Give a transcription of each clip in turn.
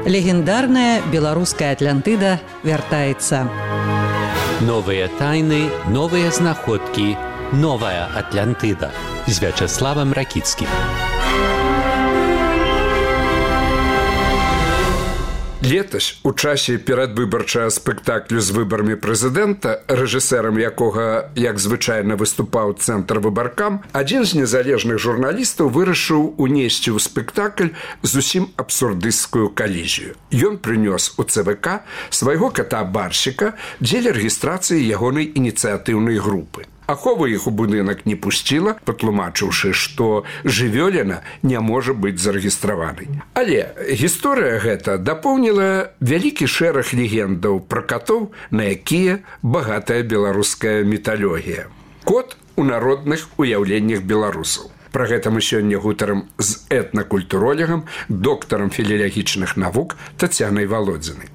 Легендарная беларуская Атлантыда вяртаецца. Новыя тайны, новыя знаходкі, новая Атлантыда з Вячаславам Ракіцкім. Летась, у часе перадвыбарчага спектаклю з выбарамі прэзідэнта, рэжысэрам якога, як звычайна, выступаў цэнтр выбаркам, адзін з незалежных журналістаў вырашыў унесці ў спектакль зусім абсурдысцкую калізію. Ён прынёс у ЦВК свайго кота-барщика дзеля рэгістрацыі ягонай ініцыятыўнай групы. Ахова іх у будынак не пусціла, патлумачыўшы, што жывёліна не можа быць зарэгістраванай. Але гісторыя гэта дапоўніла вялікі шэраг легендаў пра катоў, на якія багатая беларуская міталогія. Кот у народных уяўленнях беларусаў. Пра гэта мы сёння гутарам з этнакультуролегам, доктарам філілагічных навук Тацянай Валодзінай.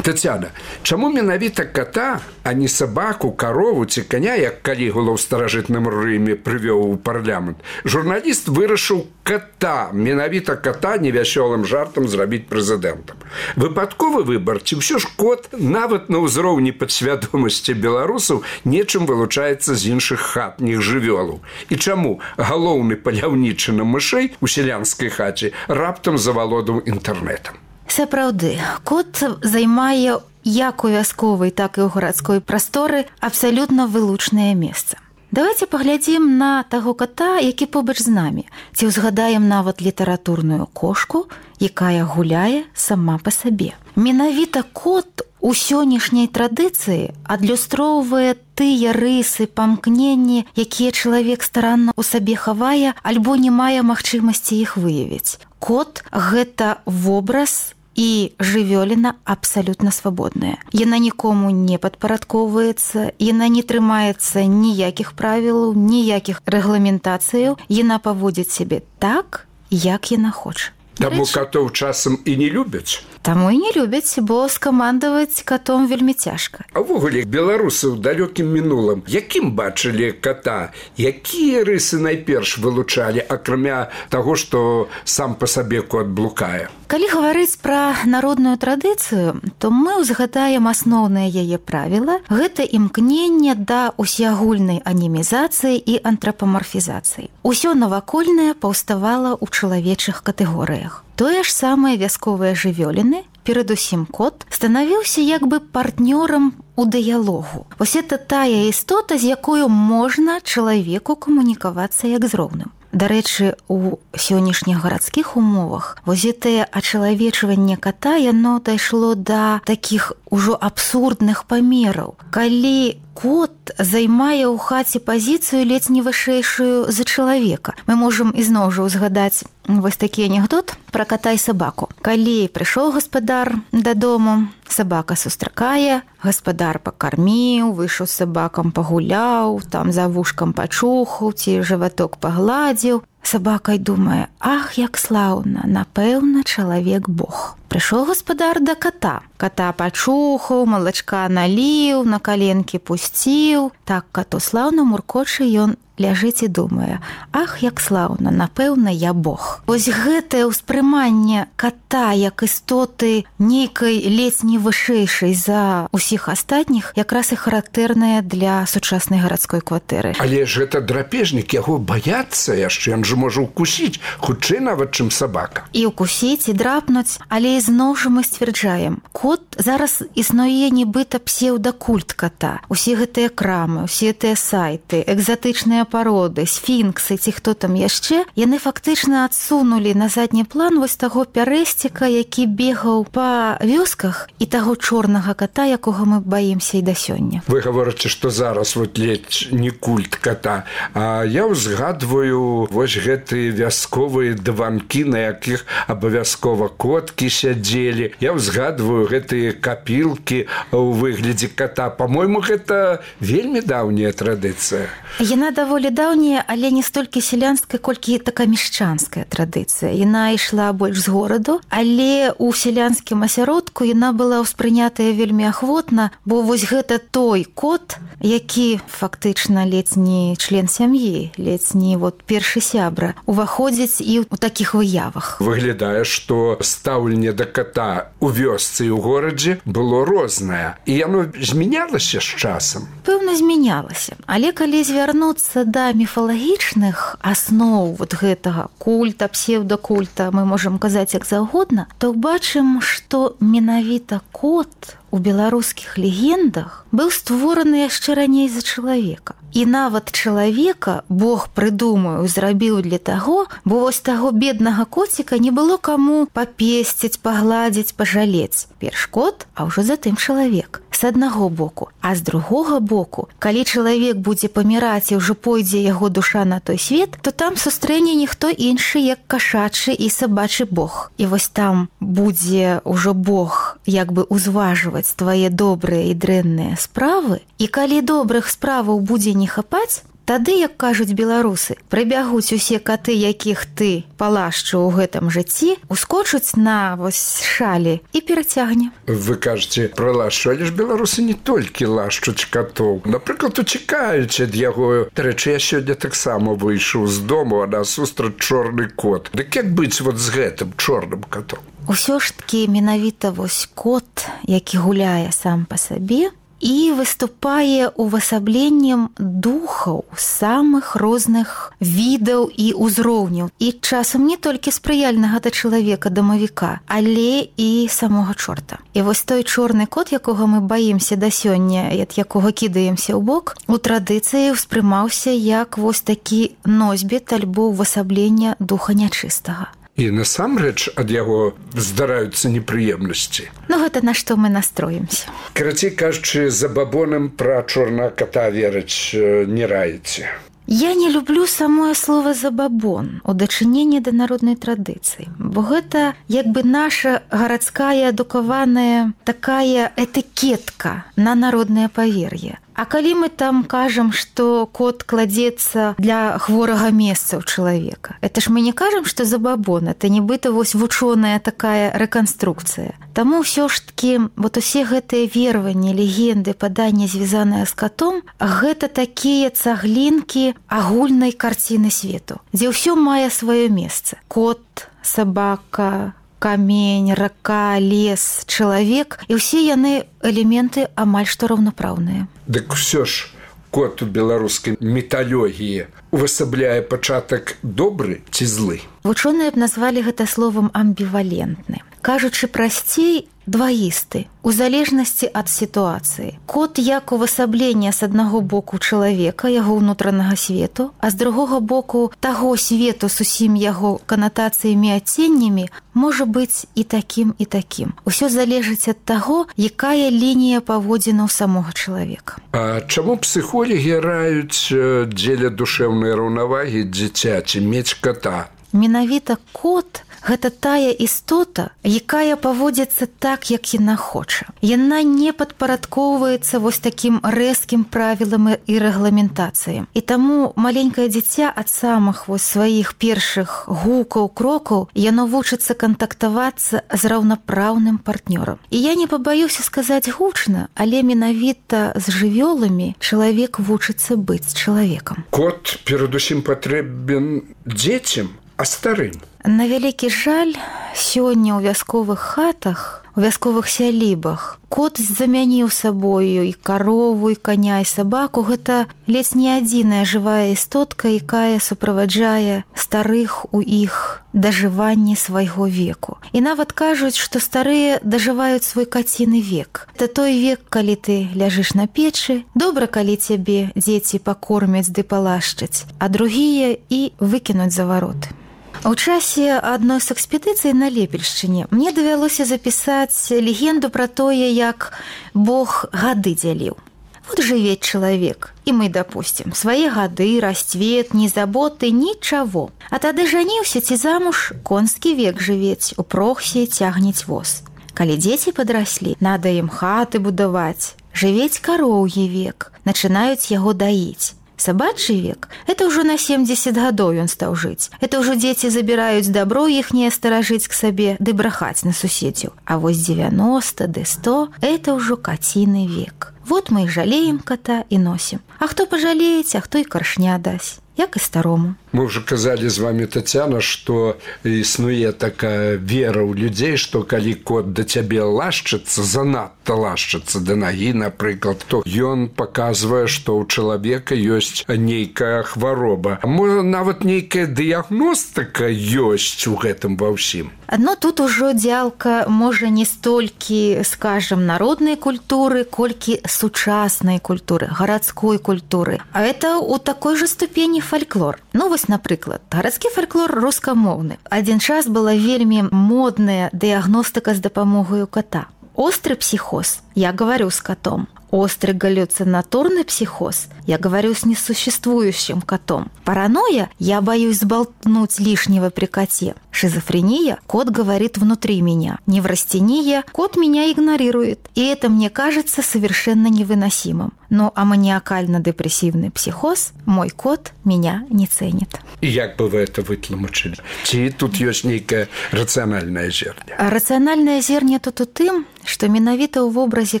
Тацяна, чаму менавіта кота, а не сабаку, карову ці коня, як Калігула ў старажытным Рыме прывёў у парламент, журналіст вырашыў кота, менавіта кота невясёлым жартам зрабіць прэзідэнтам? Выпадковы выбар, ці ўсё ж кот, нават на ўзроўні падсвядомасці беларусаў, нечым вылучаецца з іншых хатніх жывёлаў? І чаму галоўны паляўнічы на мышэй у сялянскай хаце раптам завалодаў інтэрнэтам? Сапраўды, кот займае як у вясковай, так і ў гарадской прасторы абсалютна вылучнае месца. Давайте паглядзім на таго кота, які побач з намі. Ці ўзгадаем нават літаратурную кошку, якая гуляе сама па сабе. Менавіта кот у сённяшняй традыцыі адлюстроўвае тыя рысы, памкненні, якія чалавек старанна ў сабе хавае альбо не мае магчымасці іх выявіць. Кот – гэта вобраз і жывёліна абсалютна свабодная. Яна нікому не падпарадкоўваецца, яна не трымаецца ніякіх правілаў, ніякіх рэгламентацыяў, яна паводзіць сябе так, як яна хоча. Таму катоў часам і не любяць? Таму і не любяць, бо скамандаваць катом вельмі цяжка. А ўвогуле, беларусы ў далёкім мінулым, якім бачылі кота? Якія рысы найперш вылучалі, акрамя таго, што сам па сабе кот блукае? Калі гаварыць пра народную традыцыю, то мы ўзгадаем асноўнае яе правіла. Гэта імкненне да усеагульнай анімізацыі і антрапамарфізацыі. Усё навакольнае паўставала ў чалавечых катэгорыях. Тое ж самае вясковыя жывёліны, перадусім кот, станавіўся як бы партнёрам у дыялогу. Вось это тая істота, з якою можна чалавеку камунікавацца як з роўным. Дарэчы, у сённяшніх гарадскіх умовах вось гэтае ачалавечванне кота, яно дайшло да такіх ужо абсурдных памераў. Калі кот займае ў хаце пазіцыю ледзь не вышэйшую за чалавека. Мы можам ізноў жа ўзгадаць вось такі анекдот пра кота і сабаку. Калі прыйшоў гаспадар дадому, сабака сустракае, гаспадар пакарміў, выйшаў з сабакам пагуляў, там за вушкам пачухаў ці жываток пагладзіў. Сабака й думае: ах, як слаўна, напэўна, чалавек Бог. Прыйшоў гаспадар да кота. Кота пачухаў, малачка наліў, на каленкі пусціў. Так коту слаўна муркоча, ён ляжыць і думае: ах, як слаўна, напэўна, я Бог. Вось гэтае ўспрыманне кота як істоты нейкай ледзь не вышэйшай за ўсіх астатніх якраз і характэрнае для сучаснай гарадской кватэры. Але ж гэта драпежнік, яго баяцца яшчэ, ён жа можа ўкусіць, хутчэй нават, чым сабака. І ўкусіць, і драпнуць, але ізноў жа мы сцвярджаем, кот зараз існуе нібыта псеўдакульт кота. Усе гэтыя крамы, усе гэтыя сайты, экзатычныя пароды, сфінксы ці хто там яшчэ, яны фактычна адсунулі на задні план вось таго пярэсціка, які бегаў па вёсках, і таго чорнага кота, якога мы баімся і да сёння. Вы гаворыце, што зараз вот ледзь не культ кота, а я ўзгадваю вось гэтыя вясковыя дыванкі, на якіх абавязкова коткі сядзелі. Я ўзгадваю гэтыя капілкі ў выглядзе кота. Па-мойму, гэта вельмі даўняя традыцыя. Яна даволі даволі даўняя, але не столькі сялянская, колькі такая мяшчанская традыцыя. Яна ішла больш з гораду, але ў сялянскім асяродку яна была ўспрынятая вельмі ахвотна, бо вось гэта той кот, які фактычна ледзь не член сям'і, ледзь не першы сябра, уваходзіць і ў такіх выявах. Выглядае, што стаўленне да кота ў вёсцы і ў горадзе было рознае. І яно змянялася з часам? Пэўна, змянялася. Але калі звярнуцца да міфалагічных аснов гэтага культа, псевдакульта, мы можам казаць як заўгодна, то бачым, што менавіта кот у беларускіх легендах быў створаны яшчэ раней за чалавека. І нават чалавека Бог, прыдумаю, зрабіў для таго, бо вось таго беднага коціка не было каму папесціць, пагладзіць, пажалець. Перш кот, а ўжо затым чалавек. З аднаго боку. А з другога боку, калі чалавек будзе паміраць і ўжо пойдзе яго душа на той свет, то там сустрэне ніхто іншы, як кашачы і сабачы Бог. І вось там будзе ўжо Бог як бы узважваць твае добрыя і дрэнныя справы. І калі добрых справаў будзе не хапаць, тады, як кажуць беларусы, прыбягуць усе каты, якіх ты палашчыў у гэтым жыцці, ускочуць на вось шалі і перацягне. Вы кажаце пра лашчу, але ж беларусы не толькі лашчуць катоў. Напрыклад, уцікаюць ад яго. Дарэчы, я сёння таксама выйшаў з дому, а насустрач чорны кот. Дык як быць з гэтым чорным катом? Усё ж такі менавіта вось кот, які гуляе сам па сабе, і выступае увасабленнем духаў самых розных відаў і ўзроўняў. І часам не толькі спрыяльнага да чалавека, дамавіка, але і самога чорта. І вось той чорны кот, якога мы баімся да сёння, ад якога кідаемся ў бок, у традыцыі ўспрымаўся як вось такі носьбіт альбо ўвасаблення духа нячыстага. І насамрэч ад яго здараюцца непрыемнасці. Гэта на што мы настроімся. Карацей кажучы, забабонам пра чорнага ката верыць не раіце. Я не люблю самое слово «забабон» у дачыненні да народнай традыцыі, бо гэта як бы наша гарадская адукаваная такая этыкетка на народнае павер'е. А калі мы там кажам, што кот кладзецца для хворага месца ў чалавека, это ж мы не кажам, што забабон, это нібыта вось вучоная такая рэканструкцыя. Таму ўсё ж такі усе гэтыя вераванні, легенды, паданні, звязаныя з катом, гэта такія цаглінкі агульнай карціны свету, дзе ўсё мае сваё месца. Кот, сабака, камень, рака, лес, чалавек, і ўсе яны элементы амаль што раўнапраўныя. Дык усё ж кот у беларускай міталогіі увасабляе пачатак добры ці злы? Вучоныя б назвалі гэта словам амбівалентны. Кажучы прасцей, дваісты, у залежнасці ад сітуацыі. Кот як увасабленне з аднаго боку чалавека, яго ўнутранага свету, а з другога боку таго свету з усім яго канатацыямі, адценнямі, можа быць і такім, і такім. Усё залежыць ад таго, якая лінія паводзінаў самога чалавека. А чаму псіхолагі раюць дзеля душэўнай раўнавагі дзіцяці мець ката? Менавіта кот – гэта тая істота, якая паводзіцца так, як яна хоча. Яна не падпарадкоўваецца вось такім рэзкім правілам і рэгламентацыям. І таму маленькае дзіця ад самых вось сваіх першых гукаў, крокаў, яно вучыцца кантактавацца з раўнапраўным партнёрам. І я не пабаюся сказаць гучна, але менавіта з жывёламі чалавек вучыцца быць чалавекам. Кот перадусім патрэбен дзецям, а старым? На вялікі жаль, сёння ў вясковых хатах, у вясковых сялібах кот замяніў сабою і карову, і каня, і сабаку. Гэта ледзь не адзіная жывая істотка, якая суправаджае старых у іх дажыванні свайго веку. І нават кажуць, што старыя дажываюць свой каціны век. Это той век, калі ты ляжыш на печы, добра, калі цябе дзеці пакормяць ды палашчаць, а другія і выкінуць за вароты. У часе адной з экспедыцый на Лепельшчыне мне давялося запісаць легенду пра тое, як Бог гады дзяліў. Вот жыве чалавек, і мы, допустим, свае гады, расцвет, ні заботы, нічаго. А тады жаніўся ці замуж, конскі век жывець, у прохсе цягнець воз. Калі дзеці падраслі, надо ім хаты будаваць, жывець кароўі век, начынаюць яго даіць. Собачий век – это уже на 70 годов он стал жить. Это уже дети забирают добро ихнее сторожить к себе, да брахать на суседзю. А вот 90, да 100 – это уже котиный век. Вот мы и жалеем кота и носим. А кто пожалеет, а кто и коршня даст. Як і старому. Мы уже казали з вами, Тацяна, што існуе такая вера ў людзей, што калі кот да цябе лашчыцца, занадта лашчыцца да нагі, напрыклад, то ён паказвае, што ў чалавека ёсць нейкая хвароба. Можа, нават нейкая дыягностыка ёсць у гэтым ва ўсім. Но тут ужо дзялка можа не столькі, скажем, народнай культуры, колькі сучаснай культуры, гарадской культуры. А это у такой же ступені фальклор. Ну, вось, напрыклад, гарадскі фальклор рускамоўны. Адзін час была вельмі модная дыягностыка з дапамогаю кота. Острый психоз – я говорю с котом. Острый галлюцинаторный психоз – я говорю с несуществующим котом. Паранойя – я боюсь сболтнуть лишнего при коте. Шизофрения – кот говорит внутри меня. Неврастения – кот меня игнорирует. И это мне кажется совершенно невыносимым. Ну, а маниакально-депрессивный психоз – мой кот меня не ценит. И як бы вы это вытлумачылі? Ці тут ёсць нейкае рацыянальнае зерне? А рацыянальнае зерне тут у тым, што менавіта ў вобразе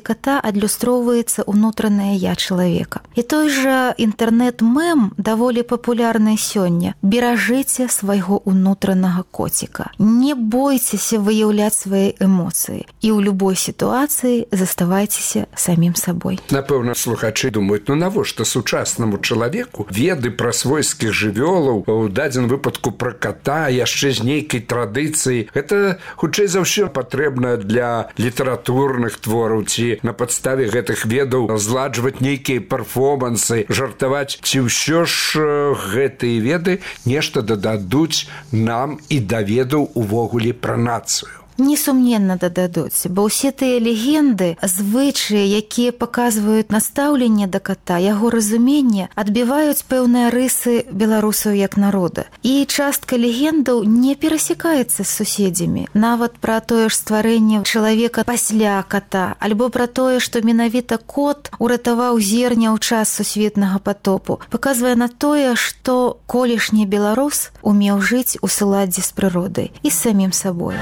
кота адлюстроўваецца ўнутранае я чалавека. І той жа інтэрнэт-мем даволі папулярны сёння. Беражыце свайго ўнутранага коціка. Не бойцеся выяўляць свае эмоцыі. І ў любой сітуацыі заставайцеся самім сабой. Напэўна, слухачы думаюць, ну навошта сучаснаму чалавеку веды пра свойскіх жывёлаў, у дадзеным выпадку пра кота, яшчэ з нейкай традыцыі. Гэта, хутчэй за ўсё, патрэбна для літаратурных твораў, ці на падставе гэтых ведаў зладжваць нейкія перформансы, жартаваць, ці ўсё ж гэтыя веды нешта дададуць нам і да ведаў увогуле пра нацыю. Несумненна дададуць, бо ўсе тыя легенды, звычаі, якія паказваюць настаўленне да кота, яго разуменне, адбіваюць пэўныя рысы беларусаў як народа. І частка легендаў не перасекаецца з суседзямі. Нават пра тое ж стварэнне чалавека пасля кота, альбо пра тое, што менавіта кот уратаваў зерня ў час сусветнага патопу, паказвае на тое, што колішні беларус умеў жыць у суладдзі з прыродай і з самім сабой.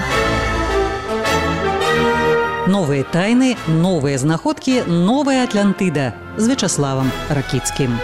Новыя тайны, новыя знаходкі, новая Атлантыда з Вячаславам Ракіцкім.